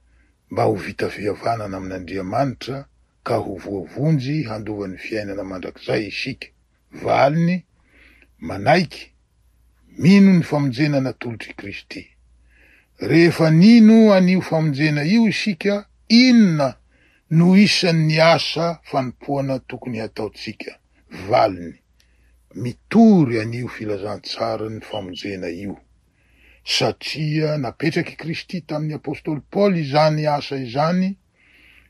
mba ho vita fihavanana amin'Andriamanitra ka ho voavonjy handova ny fiainana mandrakizay isika? Valiny: manaiky, mino ny famonjena natolotr'i Kristy. Rehefa nino an'io famonjena io isika, inona no isan'ny asa fanompoana tokony hataontsika? Valiny: mitory an'io filazantsaran'ny famonjena io. Satria napetraky Kristy tamin'ny apostoly Paoly izany asa izany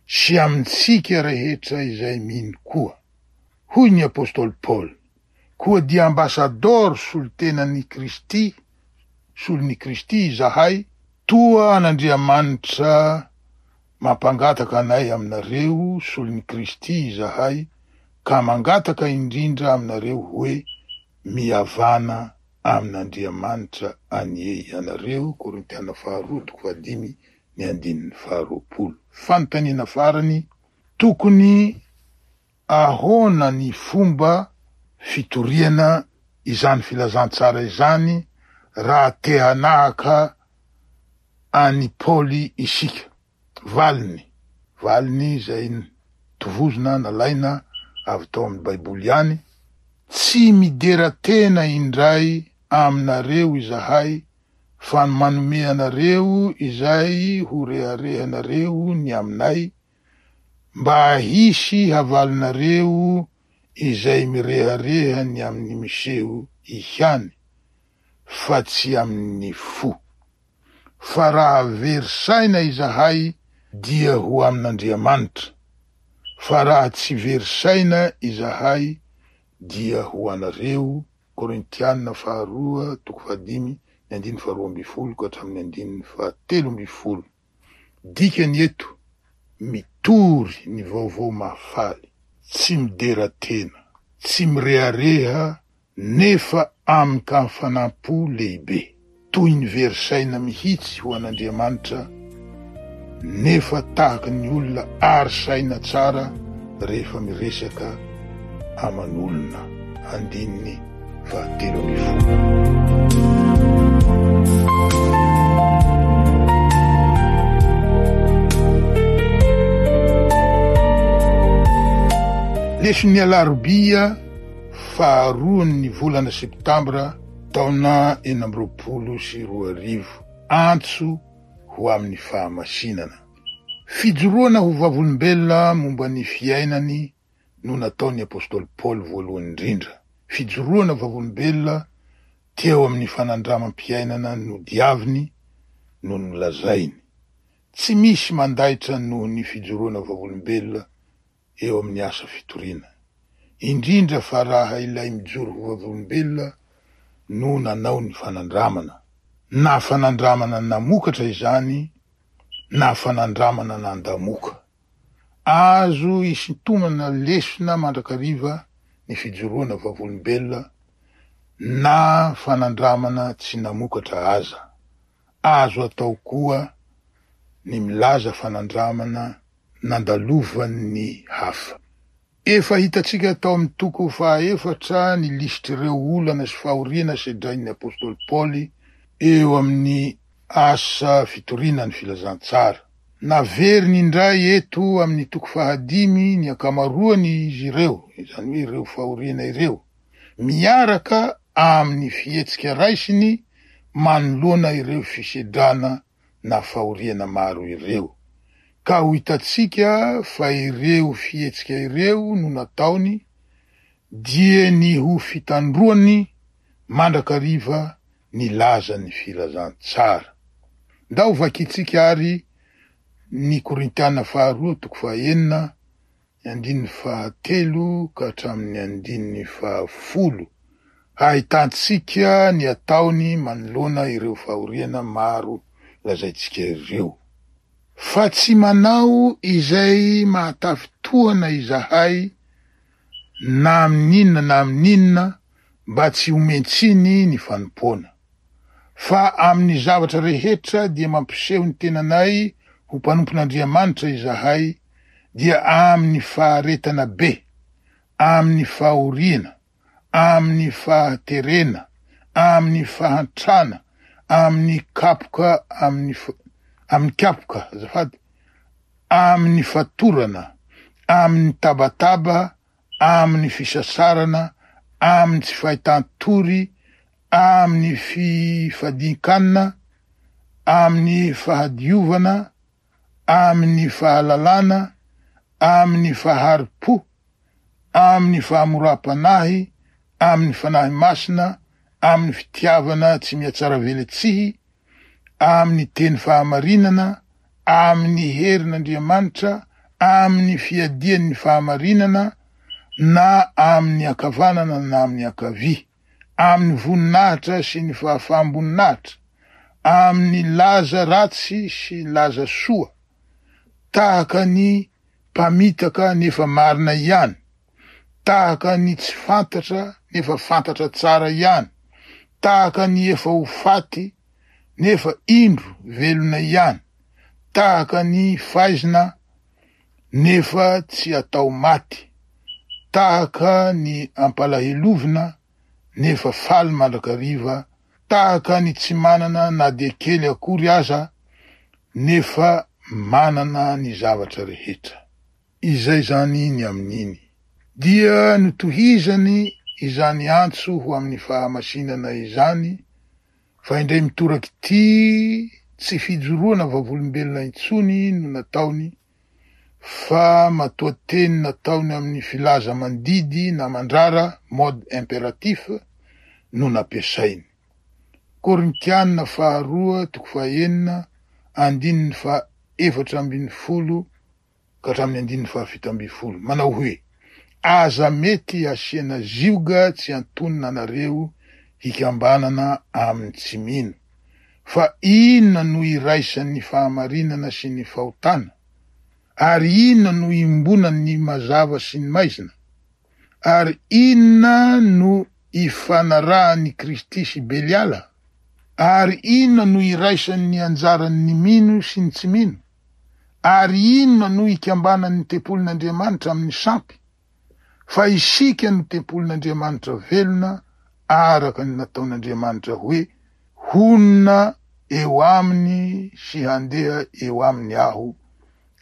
sy amintsika rehetra izay mino koa. Hoy ny apostoly Paoly: koa dia ambasadaoro solontenan'i Kristy solon'i Kristy izahay, toa an'Andriamanitra mampangataka anay aminareo solon'i Kristy izahay, ka mangataka indrindra aminareo hoe mihavana amin'Andriamanitra anie ianareo. Korintiana faharoa toko fahadimy ny andininy faharoapolo. Fanontaniana farany, tokony ahoana ny fomba fitoriana izany filazantsara izany raha te hanahaka an'i Paoly isika? Valiny, valiny izay tovozina nalaina avy tao amin'ny Baiboly ihany. Tsy midera tena indray aminareo izahay, fa manome anareo izay ho reharehanareo ny aminay, mba hisy havalinareo izay mirehareha ny amin'ny miseho ihany, fa tsy amin'ny fo. Fa raha very saina izahay dia ho amin'Andriamanitra, fa raha tsy very saina izahay dia ho anareo. Korintiana faharoa toko fahadimy ny andininy faharoa amby folo ka hatramin'ny andininy fahatelo amby folo. Dikany eto, mitory ny vaovao mahafaly, tsy midera tena, tsy mirehareha, nefa amin-kafanam-po lehibe, toy ny very saina mihitsy ho an'Andriamanitra, nefa tahaka ny olona ary saina tsara rehefa miresaka aman'olona. Andininy fahatelo amby folo. Leson'ny alarobia faharoan'ny volana septambra taona enina amby roapolo sy roa arivo. Antso ho amin'ny fahamasinana. Fijoroana ho vavolombelona momba ny fiainany no nataon'ny apostoly Paoly voalohany indrindra. Fijoroana vavolombelona teo amin'ny fanandramam-piainana nodiaviny no nolazainy. Tsy misy mandaitra noho ny fijoroana vavolombelona eo amin'ny asa fitoriana, indrindra fa raha ilay mijoro ho vavolombelona no nanao ny fanandramana, na fanandramana namokatra izany, na fanandramana nandamoka. Azo isintomana lesona mandrakariva ny fijoroana vavolombelona na fanandramana tsy namokatra aza. Azo atao koa ny milaza fanandramana nandalovan'ny hafa. Efa hitantsika tao amin'ny toko fahaefatra ny lisitr'ireo olana sy fahoriana sedrain'ny apostoly Paoly eo amin'ny asa fitoriana ny filazantsara. Naveriny indray eto amin'ny toko fahadimy ny ankamaroany izy ireo, izany hoe ireo fahoriana ireo, miaraka amin'ny fihetsika raisiny manoloana ireo fisedrana na fahoriana maro ireo. Ka ho hitantsika fa ireo fihetsika ireo no nataony dia ny ho fitandroany mandrakariva ny lazan'ny filazantsara. Ndao vakintsika ary ny Korintiana faharoa toko fahaenina ny andininy fahatelo ka hatramin'ny andininy fahafolo, hahitantsika ny ataony manoloana ireo fahoriana maro lazaintsika ireo. Fa tsy manao izay mahatafitohana izahay na amin'inona na amin'inona mba tsy homentsiny ny fanompoana. Fa amin'ny zavatra rehetra dia mampiseho ny tenanay ho mpanompon'Andriamanitra izahay, dia amin'ny faharetana be, amin'ny fahoriana, amin'ny fahaterena, amin'ny fahantrana, amin'ny kapoka, amin'ny amin'ny kapoka, azafady, amin'ny fatorana, amin'ny tabataba, amin'ny fisasarana, amin'ny tsy fahitan-tory, amin'ny fifadian-kanina, amin'ny fahadiovana, amin'ny fahalalana, amin'ny fahari-po, amin'ny fahamoram-panahy, amin'ny fanahy masina, amin'ny fitiavana tsy mihatsaravelatsihy, amin'ny teny fahamarinana, amin'ny herin'Andriamanitra, amin'ny fiadian'ny fahamarinana, na amin'ny ankavanana na amin'ny ankavia, amin'ny voninahitra sy ny fahafaham-boninahitra, amin'ny laza ratsy sy laza soa, tahaka ny mpamitaka nefa marina ihany, tahaka ny tsy fantatra nefa fantatra tsara ihany, tahaka ny efa ho faty nefa indro velona ihany, tahaka ny faizina nefa tsy atao maty, tahaka ny ampalahelovina nefa faly mandrakariva, tahaka ny tsy manana na dia kely akory aza nefa manana ny zavatra rehetra. Izay zany ny amin'iny. Dia notohizany izany antso ho amin'ny fahamasinana izany, fa indray mitoraky ty tsy fijoroana vavolombelona intsony no nataony, fa matoa teny nataony amin'ny filaza mandidy na mandrara, mode impératif, no nampiasainy. Korintiana faharoa toko fahaenina andininy faha efatra ambin'ny folo ka hatramin'ny andininy fahafito ambin'ny folo manao hoe: aza mety asiana zioga tsy antonona anareo hikambanana amin'ny tsy mino, fa inona no iraisan'ny fahamarinana sy ny fahotana? Ary inona no iombonan'ny mazava sy ny maizina? Ary inona no ifanarahan'ny Kristy sy Beliala? Ary inona no iraisan'ny anjaran'ny mino sy ny tsy mino? Ary inona no ikambanan'ny tempolin'Andriamanitra amin'ny sampy? Fa isika no tempolin'Andriamanitra velona, araka ny nataon'Andriamanitra hoe: honina eo aminy sy handeha eo aminy aho,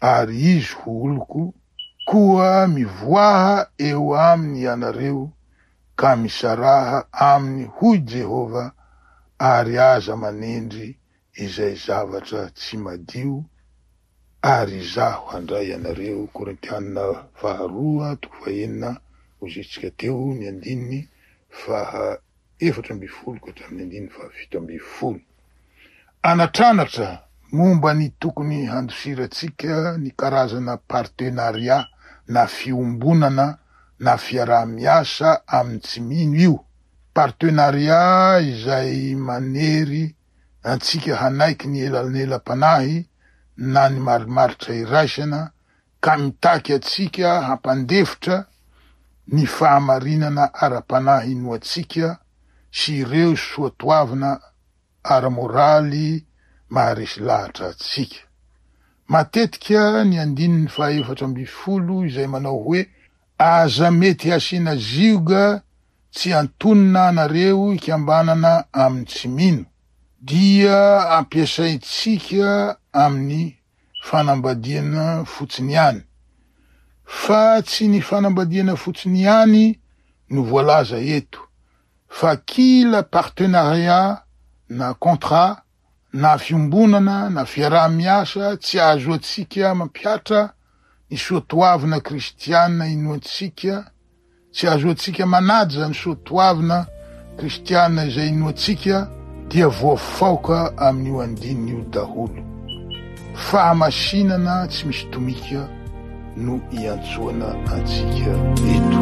ary izy ho oloko. Koa mivoaha eo aminy ianareo ka misaraha aminy, hoy Jehovah, ary aza manendry izay zavatra tsy madio, ary izaho handray anareo. Korintiana faharoa toko fahenina hoy teo ny andininy faha efatra ambin'ny folo ka hatramin'ny andininy fahafito ambin'ny folo. Anatranatra momba ny tokony handosirantsika ny karazana partenariat na fiombonana na fiaraha-miasa amin'ny tsy mino io. Partenariat izay manery antsika hanaiky ny elanelam-panahy na ny marimaritra iraisana, ka mitaky atsika hampandefitra ny fahamarinana ara-panahy inoantsika sy ireo soatoavina ara-moraly maharesy lahatra atsika. Matetika ny andininy fahaefatra ambin'ny folo izay manao hoe: aza mety asiana zioga tsy antonona anareo hikambanana amin'ny tsy mino, dia ampiasaintsika amin'ny fanambadiana fotsiny ihany. Fa tsy ny fanambadiana fotsiny ihany no voalaza eto, fa kila partenariat na contrat na fiombonana na fiaraha-miasa tsy ahazoantsika mampihatra ny soatoavina kristiana inoantsika, tsy ahazoantsika manaja ny soatoavina kristiana izay inoantsika, dia voafaoka amin'io andininy io daholo. Fahamasinana tsy misy tomika no iantsoana antsika eto.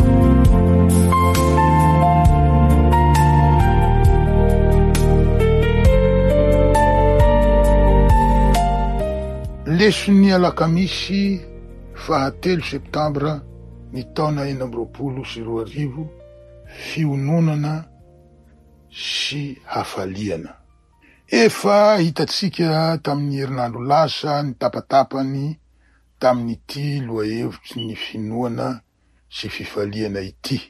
Leson'ny alakamisy fahatelo septambra ny taona enina amby roapolo sy roa arivo, fiononana sy hafaliana. Efa hitantsika tamin'ny herinandro lasa ny tapatapany tamin'ity lohahevitry ny finoana sy fifaliana ity.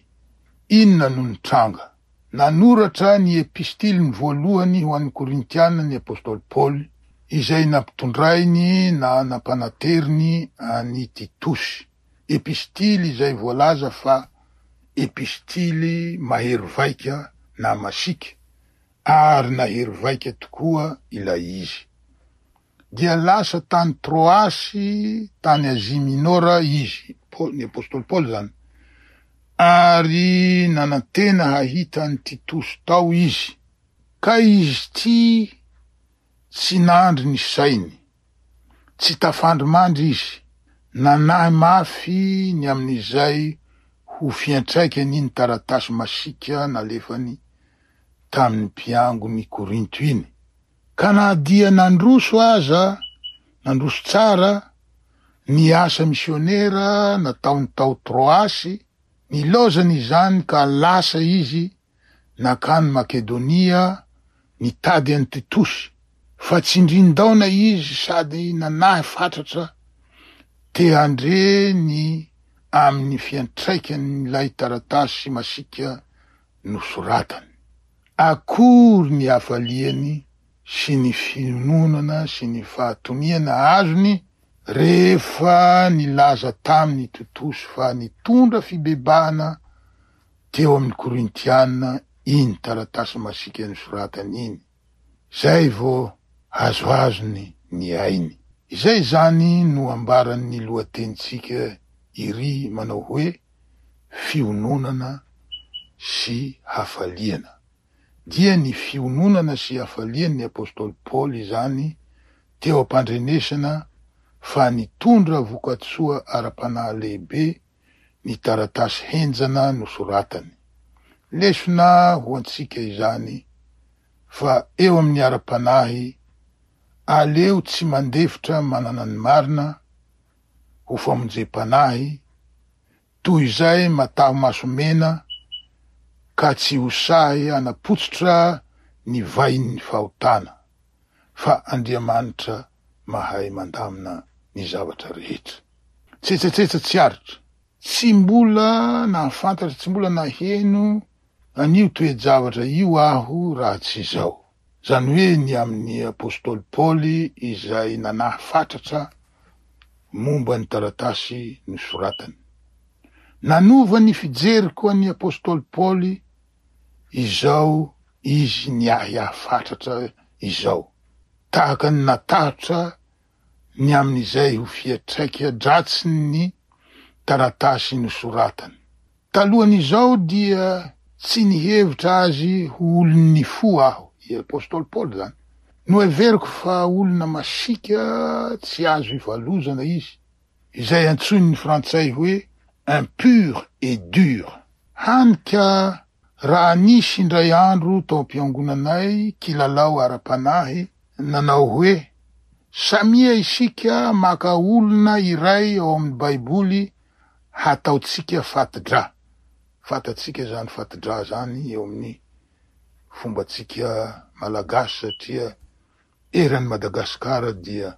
Inona no nitranga? Nanoratra ny epistiliny voalohany ho an'ny Korintiana ny apostoly Paoly, izay nampitondrainy na nampanateriny an'i Titosy. Epistily izay voalaza fa epistily mahery vaika na masiaka, ary nahery vaika tokoa ilay izy. Dia lasa tany Troasy, tany Azia Minora izy, ny apostoly Paoly zany, ary nanantena hahita an'i Titosy tao izy. Ka izy ty tsy nandry ny sainy, tsy tafandry mandry izy, nanahy mafy ny amin'izay ho fiantraikany ny taratasy masiaka nalefany tamin'ny mpiangon'ny Korinto iny. Ka na dia nandroso aza, nandroso tsara ny asa misionera nataony tao Troasy, nilaozany izany ka lasa izy nakany Makedonia nitady an'i Titosy, fa tsindrin-daona izy sady nanahy fatratra te handre ny amin'ny fiantraikan'ilay taratasy masiaka nosoratany. Akory ny hafaliany sy ny fiononana sy ny fahatoniana azony rehefa nilaza taminy Titosy fa nitondra fibebahana teo amin'ny Korintiana iny taratasy masiaka nosoratany iny. Zay vao azoazony ny ainy. Izay zany no ambaran'ny lohatenintsika iry manao hoe fiononana sy hafaliana. Dia ny fiononana sy hafalian'ny Apostoly Paoly izany teo am-pandrenesana fa nitondra vokatsoa ara-panahy lehibe ny taratasy henjana nosoratany. Lesona ho antsika izany fa eo amin'ny ara-panahy aleo tsy mandefitra manana ny marina ho famonjem-panahy toy izay mataho maso mena ka tsy ho sahy anapotsitra ny vahin'ny fahotana, fa Andriamanitra mahay mandamina ny zavatra rehetra. Tsetsatsetsa tsy aritra, tsy mbola nahafantatra, tsy mbola naheno an'io toe-javatra io aho raha tsy izao. Zany hoe ny amin'ny Apostoly Paoly izay nanahy fatratra momba ny taratasy nosoratany. Nanova ny fijeriko an'ny Apostoly Paoly izao izy niahiahy fatratra izao. Tahaka ny natahotra ny amin'izay ho fiantraika dratsin'ny taratasy nosoratany. Talohan'izao dia tsy nihevitra azy ho olon'ny fo aho, i Apostoly Paoly zany. Noheveriko fa olona masiaka tsy azo ivalozana izy, izay antsoin'ny frantsay hoe impur et dur. Hany ka raha nisy indray andro tao am-piangonanay kilalao ara-panahy nanao hoe samia isika maka olona iray ao amin'ny Baiboly hataontsika fatidra. Fantatsika zany fatidra zany eo amin'ny fombantsika malagasy satria eran'ny Madagasikara dia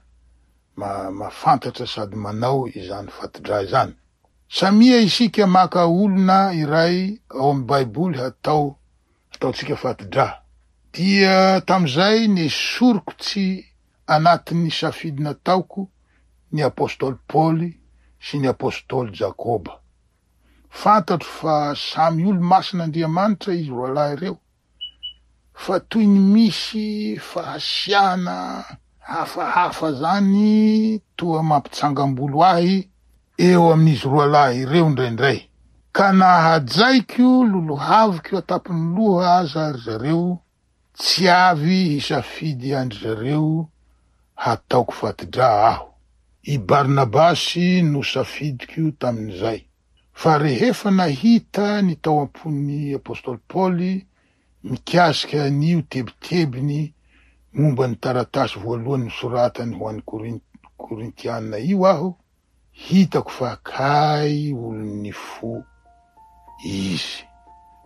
ma- mahafantatra sady manao izany fatidra izany. Samia isika maka olona iray ao amin'ny Baiboly hatao ataontsika fatidra. Dia tamin'izay nesoriko tsy anatin'ny safidy nataoko ny Apostoly Paoly sy ny Apostoly Jakoba. Fantatro fa samy olo masin'Andriamanitra izy roalahy ireo, fa toy ny misy fahasiahana hafahafa zany toa mampitsangam-bolo ahy eo amin'izy roalahy ireo indraindray. Ka na hajaiko lolohaviko an-tampon'ny loha aza ry zareo, tsy avy hisafidy andry zareo hataoko fatidra aho. I Barnabasy no safidiko tamin'izay. Fa rehefa nahita ny tao am-pon'ny Apostoly Paoly mikasika an'io tebitebiny momba ny taratasy voalohany nosoratany ho an'ny Korin- Korintiana io aho, hitako fa kay olon'ny fo izy.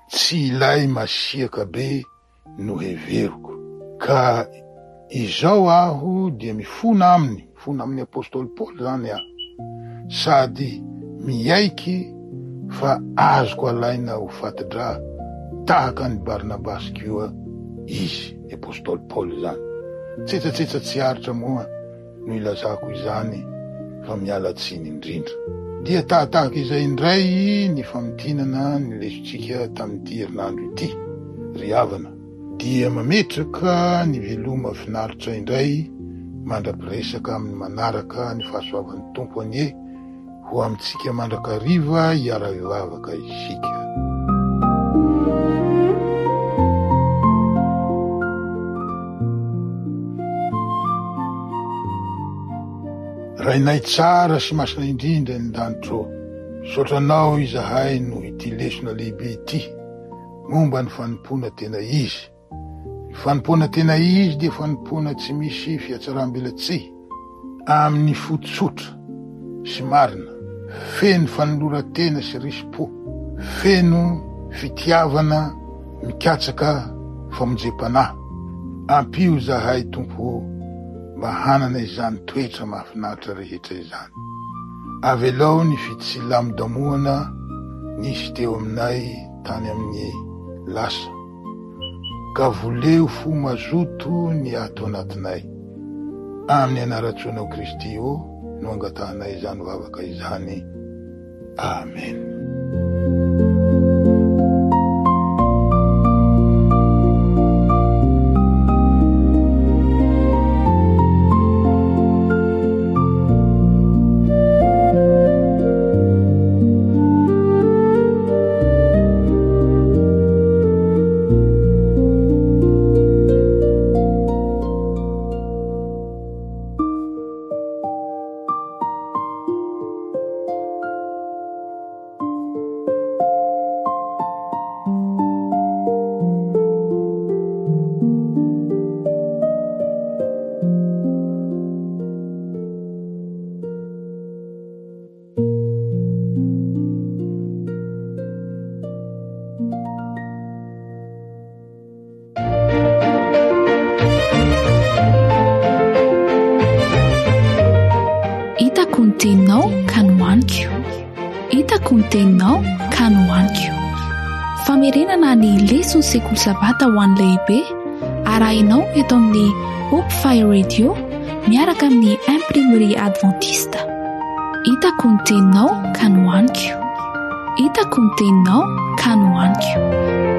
Tsy ilay masiaka be no heveriko. Ka izao aho dia mifona aminy, mifona amin'ny Apostoly Paoly zany aho, sady miaiky fa azoko alaina ho fatidra tahaka ny Barnabasy koa izy, ny Apostoly Paoly zany. Tsetsatsetsa tsy aritra moa no ilazako izany fa miala tsiny indrindra. Dia tahatahaka izay indray ny famintinana ny lesotsika tamin'ity herinandro ity, ry havana. Dia mametraka ny veloma finaritra indray mandra-piresaka amin'ny manaraka ny fahasoavan'ny Tompo anie ho amintsika mandrakariva hiara-hivavaka isika. Rainay tsara sy masina indrindra ny lanitro, misaotra anao izahay noho ity lesona lehibe ity momba ny fanompoana tena izy. Ny fanompoana tena izy dia fanompoana tsy misy fihatsaram-belatsihy, amin'ny fo tsotra sy marina, feno fanoloran-tena sy risi-po, feno fitiavana mikatsaka famonjem-panahy. Ampio zahay Tompo mba hanana izany toetra mahafinaritra rehetra izany. Avelao ny fitsilamodamoana nisy teo aminay tany amin'ny lasa, ka voleo fo mazoto ny ato anatinay. Amin'ny anaran-tsoanao Kristy ô no angatahanay izany vavaka izany. Amen.
Hitako ny teninao ka nohaniko. Hitako ny teninao ka nohaniko. Famerenana ny leson'ny sekoly sabata ho an'ny lehibe arahinao eto amin'ny Hope Fire Radio miaraka amin'ny Imprimerie Adventiste. Hitako ny teninao ka nohaniko. Hitako ny teninao ka nohaniko.